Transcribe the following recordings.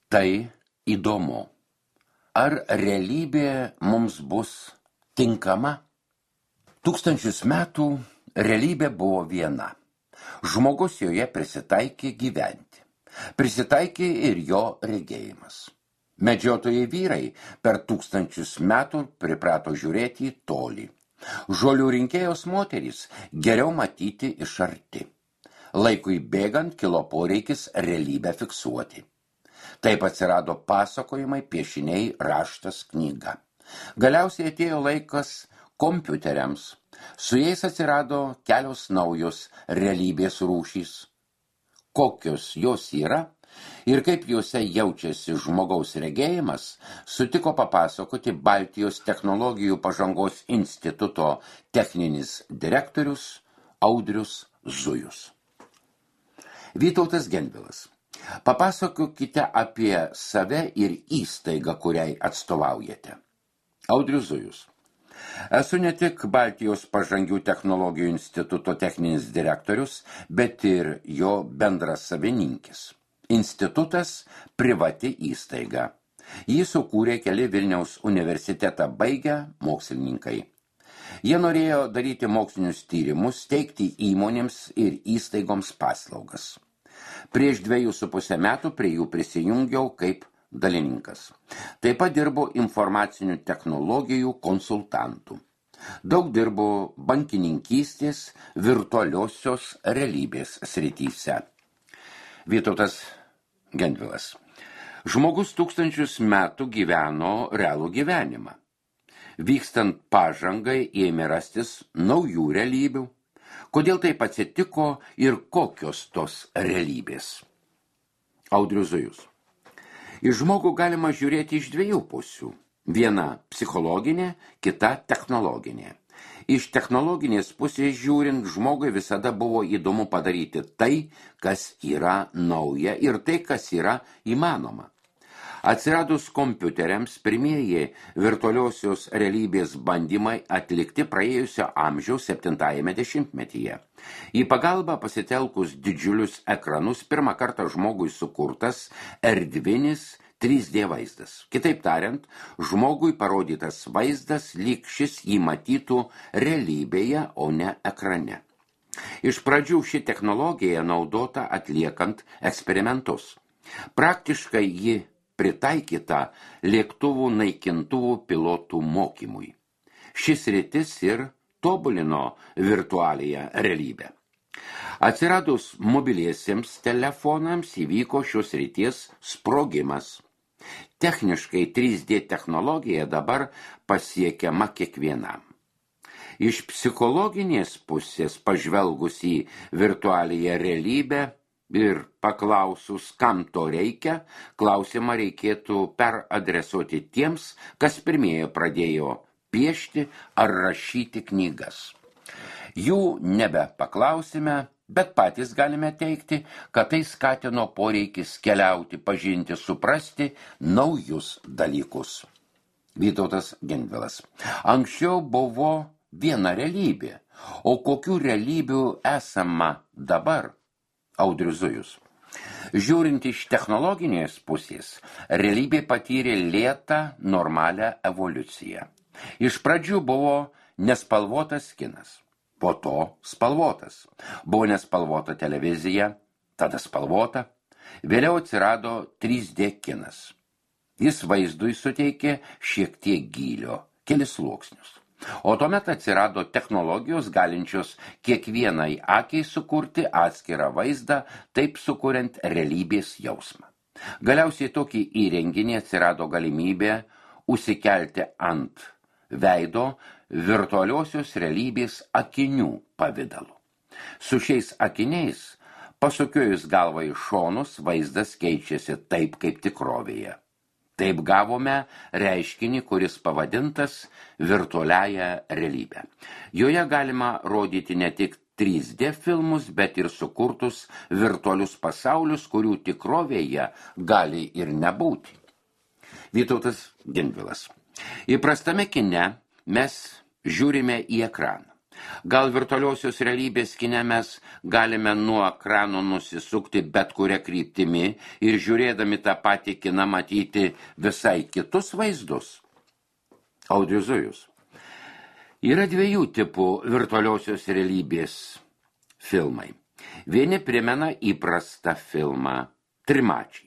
Tai įdomu. Ar realybė mums bus tinkama? Tūkstančius metų realybė buvo viena. Žmogus joje prisitaikė gyventi. Prisitaikė ir jo regėjimas. Medžiotojai vyrai per tūkstančius metų priprato žiūrėti į tolį. Žolių rinkėjos moterys geriau matyti iš arti. Laikui bėgant kilo poreikis realybę fiksuoti. Taip atsirado pasakojimai, piešiniai, raštas, knyga. Galiausiai atėjo laikas kompiuteriams. Su jais atsirado kelios naujos realybės rūšys. Kokios jos yra ir kaip juose jaučiasi žmogaus regėjimas, sutiko papasakoti Baltijos technologijų pažangos instituto techninis direktorius Audrius Zujus. Vytautas Gendvilas. Papasakokite apie save ir įstaigą, kuriai atstovaujate. Audrius Zujus. Esu ne tik Baltijos pažangių technologijų instituto techninis direktorius, bet ir jo bendras savininkis. Institutas privati įstaiga. Jį sukūrė keli Vilniaus universitetą baigę mokslininkai. Jie norėjo daryti mokslinius tyrimus, teikti įmonėms ir įstaigoms paslaugas. Prieš 2,5 metų prie jų prisijungiau kaip dalininkas. Taip pat dirbo informacinių technologijų konsultantų. Daug dirbo bankininkystės, virtualiosios realybės srityse. Vytautas Gendvilas. Žmogus tūkstančius metų gyveno realų gyvenimą. Vykstant pažangai ėmė rastis naujų realybių. Kodėl taip atsitiko ir kokios tos realybės? Audrius Zujus. Į žmogų galima žiūrėti iš dviejų pusių. Viena psichologinė, kita technologinė. Iš technologinės pusės žiūrint, žmogui visada buvo įdomu padaryti tai, kas yra nauja ir tai, kas yra įmanoma. Atsiradus kompiuteriams, pirmieji virtualiosios realybės bandymai atlikti praėjusio amžiaus 7-ame dešimtmetyje. Į pagalbą pasitelkus didžiulius ekranus pirmą kartą žmogui sukurtas erdvinis 3D vaizdas. Kitaip tariant, žmogui parodytas vaizdas lyg šis jį matytų realybėje, o ne ekrane. Iš pradžių ši technologija naudota atliekant eksperimentus. Praktiškai ji pritaikyta lėktuvų naikintuvų pilotų mokymui. Šis sritis ir tobulino virtualiąją realybę. Atsiradus mobiliesiems telefonams įvyko šios srities sprogimas. Techniškai 3D technologija dabar pasiekiama kiekvienam. Iš psichologinės pusės pažvelgus į virtualiąją realybę ir paklausus, kam to reikia, klausimą reikėtų peradresuoti tiems, kas pirmieji pradėjo piešti ar rašyti knygas. Jų nebepaklausime, bet patys galime teikti, kad tai skatino poreikis keliauti, pažinti, suprasti naujus dalykus. Vytautas Gendvilas. Anksčiau buvo viena realybė, o kokių realybių esama dabar? Audrius Zujus. Žiūrint iš technologinės pusės, realybė patyrė lėtą, normalią evoliuciją. Iš pradžių buvo nespalvotas kinas, po to spalvotas. Buvo nespalvota televizija, tada spalvota. Vėliau atsirado 3D kinas. Jis vaizdui suteikė šiek tiek gylio, kelis sluoksnius. O tuomet atsirado technologijos galinčios kiekvienai akiai sukurti atskirą vaizdą, taip sukuriant realybės jausmą. Galiausiai tokį įrenginį atsirado galimybė užsikelti ant veido virtualiosios realybės akinių pavidalu. Su šiais akiniais, pasukiojus galvą į šonus, vaizdas keičiasi taip, kaip tikrovėje. Taip gavome reiškinį, kuris pavadintas virtualiąją realybę. Joje galima rodyti ne tik 3D filmus, bet ir sukurtus virtualius pasaulius, kurių tikrovėje gali ir nebūti. Vytautas Gendvilas. Įprastame kine mes žiūrime į ekraną. Gal virtualiosios realybės kine mes galime nuo ekrano nusisukti bet kuria kryptimi ir žiūrėdami tą patį kiną matyti visai kitus vaizdus? Audrius Zujus. Yra dviejų tipų virtualiosios realybės filmai. Vieni primena įprastą filmą trimačiai.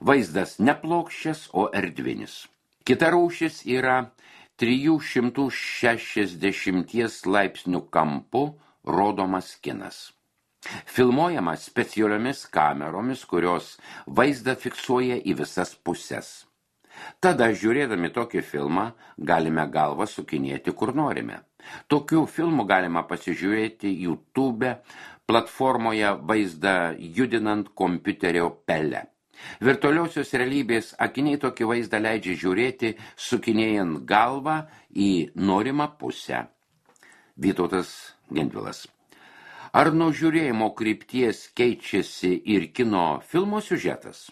Vaizdas ne plokščias, o erdvinis. Kita rūšis yra 360 laipsnių kampu rodomas kinas. Filmuojama specialiomis kameromis, kurios vaizdą fiksuoja į visas puses. Tada, žiūrėdami tokį filmą, galime galvą sukinėti kur norime. Tokių filmų galima pasižiūrėti YouTube platformoje vaizdą judinant kompiuterio pele. Virtualiosios realybės akiniai tokį vaizdą leidžia žiūrėti, sukinėjant galvą į norimą pusę. Vytautas Gendvilas. Ar nuo žiūrėjimo krypties keičiasi ir kino filmo siužetas?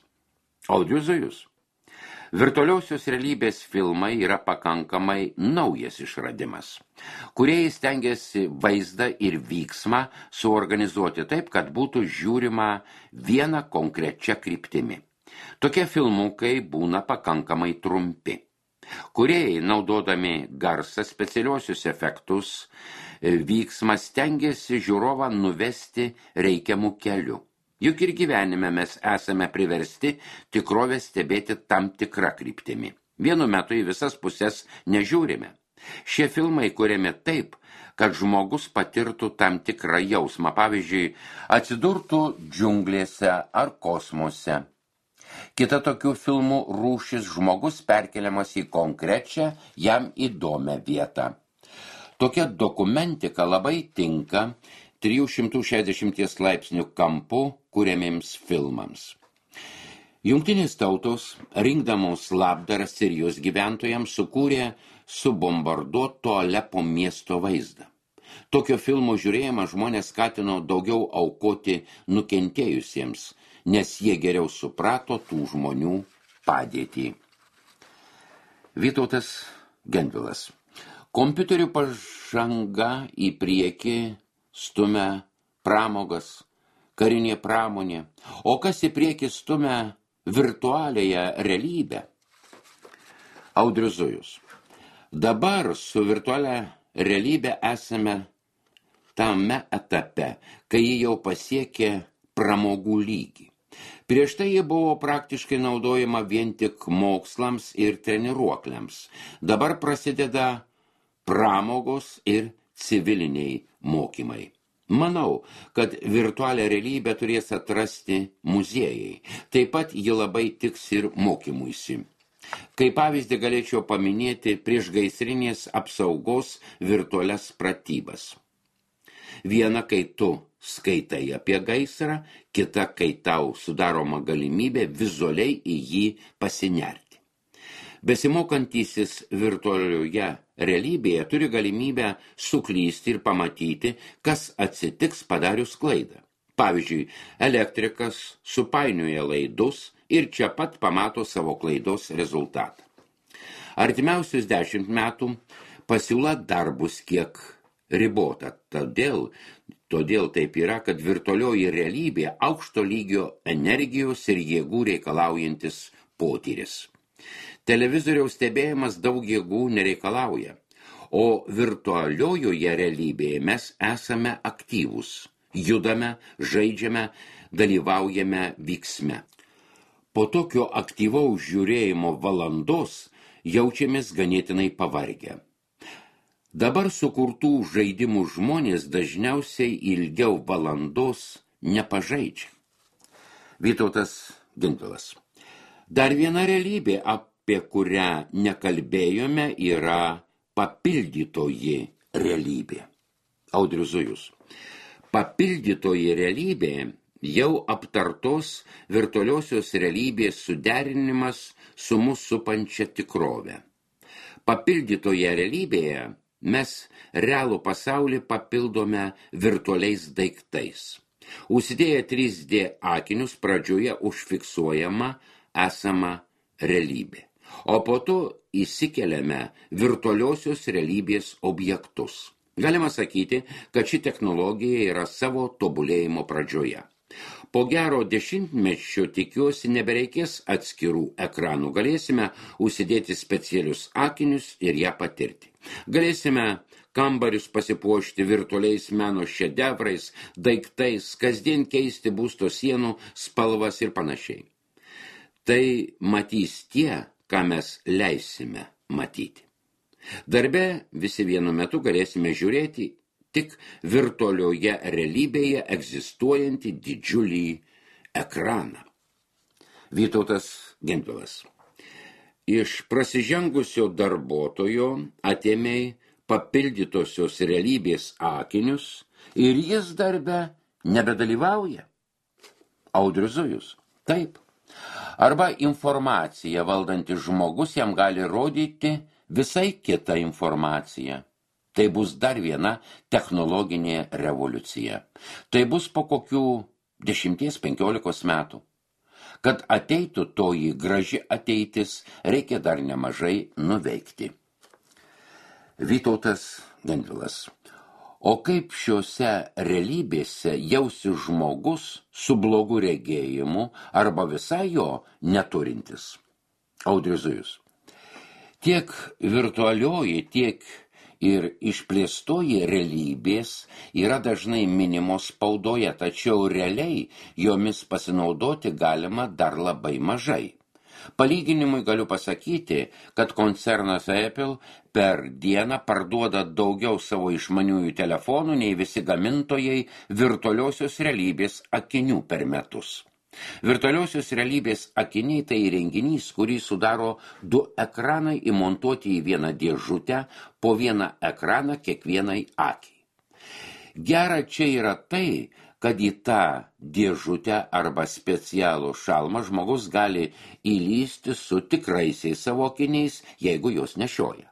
Audrius Zujus. Virtualiosios realybės filmai yra pakankamai naujas išradimas. Kūrėjai stengiasi vaizdą ir vyksmą suorganizuoti taip, kad būtų žiūrima viena konkrečia kryptimi. Tokie filmukai būna pakankamai trumpi. Kūrėjai, naudodami garsą, specialiosius efektus, vyksmą stengiasi žiūrovą nuvesti reikiamų kelių. Juk ir gyvenime mes esame priversti tikrovę stebėti tam tikrą kryptimi. Vienu metu į visas puses nežiūrime. Šie filmai kuriami taip, kad žmogus patirtų tam tikrą jausmą, pavyzdžiui, atsidurtų džiunglėse ar kosmose. Kita tokių filmų rūšis žmogus perkeliamas į konkrečią, jam įdomią vietą. Tokia dokumentika labai tinka 360 laipsnių kampu kuriamiems filmams. Jungtinės tautos, rinkdamos labdarą Sirijos gyventojams, sukūrė subombarduoto Alepo miesto vaizdą. Tokio filmo žiūrėjimą žmonės skatino daugiau aukoti nukentėjusiems, nes jie geriau suprato tų žmonių padėtį. Vytautas Gendvilas. Kompiuterių pažanga į priekį stumia pramogas, karinė pramonė, o kas į priekį stumia virtualiąją realybę? Audrius Zujus. Dabar su virtualia realybė esame tame etape, kai ji jau pasiekė pramogų lygį. Prieš tai ji buvo praktiškai naudojama vien tik mokslams ir treniruokliams. Dabar prasideda pramogos ir civiliniai mokymai. Manau, kad virtualią realybę turės atrasti muziejai. Taip pat ji labai tiks ir mokymuisi. Kaip pavyzdį galėčiau paminėti priešgaisrinės apsaugos virtualias pratybas. Viena, kai tu skaitai apie gaisrą, kita, kai tau sudaroma galimybė vizualiai į jį pasinerti. Besimokantysis virtualioje realybėje turi galimybę suklysti ir pamatyti, kas atsitiks padarius klaidą. Pavyzdžiui, elektrikas supainioja laidus ir čia pat pamato savo klaidos rezultatą. Artimiausius 10 metų pasiūla dar bus kiek ribota. Todėl taip yra, kad virtualioji realybė aukšto lygio energijos ir jėgų reikalaujantis potyris. Televizoriaus stebėjimas daug jėgų nereikalauja, o virtualiojoje realybėje mes esame aktyvūs, judame, žaidžiame, dalyvaujame vyksme. Po tokio aktyvaus žiūrėjimo valandos jaučiamės ganėtinai pavargę. Dabar sukurtų žaidimų žmonės dažniausiai ilgiau valandos nepažaidžia. Vytautas Gendvilas. Dar viena realybė, apie kurią nekalbėjome, yra papildytoji realybė. Audrius Zujus. Papildytoji realybė jau aptartos virtualiosios realybės suderinimas su mus supančia tikrove. Papildytoje realybėje mes realų pasaulį papildome virtualiais daiktais. Užsidėję 3D akinius pradžioje užfiksuojama esama realybė, o po to įsikeliame virtualiosios realybės objektus. Galima sakyti, kad ši technologija yra savo tobulėjimo pradžioje. Po gero 10-mečio tikiuosi nebereikės atskirų ekranų. Galėsime užsidėti specialius akinius ir ją patirti. Galėsime kambarius pasipuošti virtualiais meno šedevrais, daiktais, kasdien keisti būsto sienų spalvas ir panašiai. Tai matys tie, ką mes leisime matyti. Darbe visi vienu metu galėsime žiūrėti tik virtualioje realybėje egzistuojantį didžiulį ekraną. Vytautas Gentvilas. Iš prasižengusio darbuotojo atėmei papildytosios realybės akinius ir jis darbe nebedalyvauja. Audrius Zujus. Taip. Arba informaciją valdantis žmogus jam gali rodyti visai kita informacija. Tai bus dar viena technologinė revoliucija. Tai bus po kokių 10-15 metų. Kad ateitų toji graži ateitis, reikia dar nemažai nuveikti. Vytautas Gentvilas. O kaip šiuose realybėse jausi žmogus su blogu regėjimu arba visai jo neturintis? Audrius Zujus. Tiek virtualioji, tiek ir išplėstoji realybės yra dažnai minimos spaudoje, tačiau realiai jomis pasinaudoti galima dar labai mažai. Palyginimui galiu pasakyti, kad koncernas Apple per dieną parduoda daugiau savo išmaniųjų telefonų nei visi gamintojai virtualiosios realybės akinių per metus. Virtualiosios realybės akiniai tai įrenginys, kurį sudaro 2 ekranai įmontuoti į vieną dėžutę, po vieną ekraną kiekvienai akiai. Gera čia yra tai, kad į tą dėžutę arba specialų šalmą žmogus gali įlysti su tikraisiais savo akiniais, jeigu jos nešioja.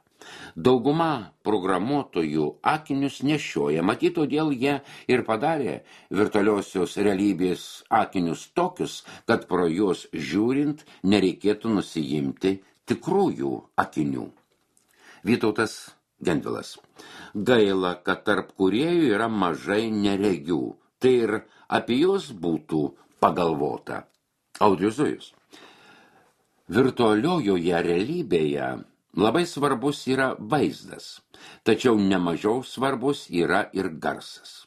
Dauguma programuotojų akinius nešioja, matyt, todėl jie ir padarė virtualiosios realybės akinius tokius, kad pro juos žiūrint nereikėtų nusiimti tikrųjų akinių. Vytautas Gentvilas. Gaila, kad tarp kūrėjų yra mažai neregių. Tai ir apie juos būtų pagalvota. Audrius Zujus. Virtualiojoje realybėje labai svarbus yra vaizdas, tačiau nemažiau svarbus yra ir garsas.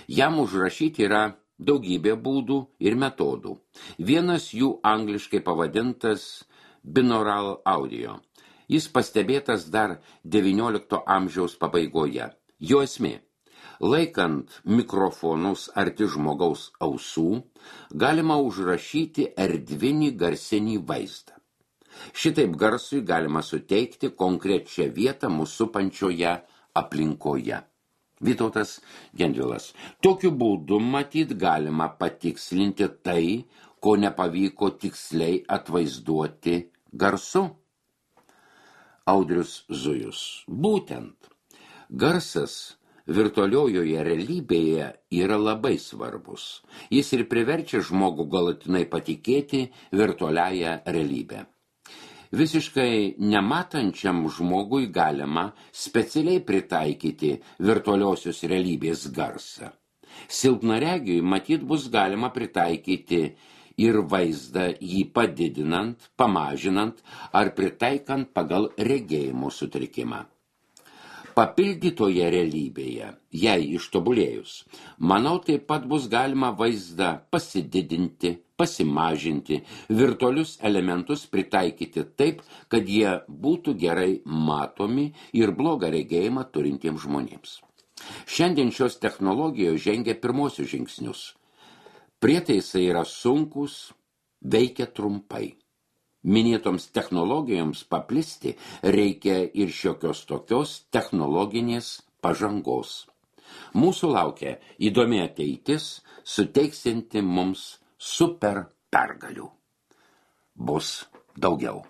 Jam užrašyti yra daugybė būdų ir metodų. Vienas jų angliškai pavadintas binaural audio. Jis pastebėtas dar XIX amžiaus pabaigoje. Jo esmė. Laikant mikrofonus arti žmogaus ausų, galima užrašyti erdvinį garsinį vaizdą. Šitaip garsui galima suteikti konkrečią vietą mūsų supančioje aplinkoje. Vytautas Gentvilas. Tokiu būdu matyt galima patikslinti tai, ko nepavyko tiksliai atvaizduoti garsu. Audrius Zujus. Būtent. Garsas virtualiojoje realybėje yra labai svarbus. Jis ir priverčia žmogų galutinai patikėti virtualiąją realybę. Visiškai nematančiam žmogui galima specialiai pritaikyti virtualiosios realybės garsą. Silpnaregiui matyt bus galima pritaikyti ir vaizdą jį padidinant, pamažinant ar pritaikant pagal regėjimo sutrikimą. Papildytoje realybėje, jei ištobulėjus, manau, taip pat bus galima vaizdą pasididinti, pasimažinti, virtualius elementus pritaikyti taip, kad jie būtų gerai matomi ir blogą regėjimą turintiems žmonėms. Šiandien šios technologijos žengia pirmosius žingsnius. Prietaisai yra sunkūs, veikia trumpai. Minėtoms technologijoms paplisti reikia ir šiokios tokios technologinės pažangos. Mūsų laukia įdomi ateitis, suteiksinti mums super pergalių. Bus daugiau.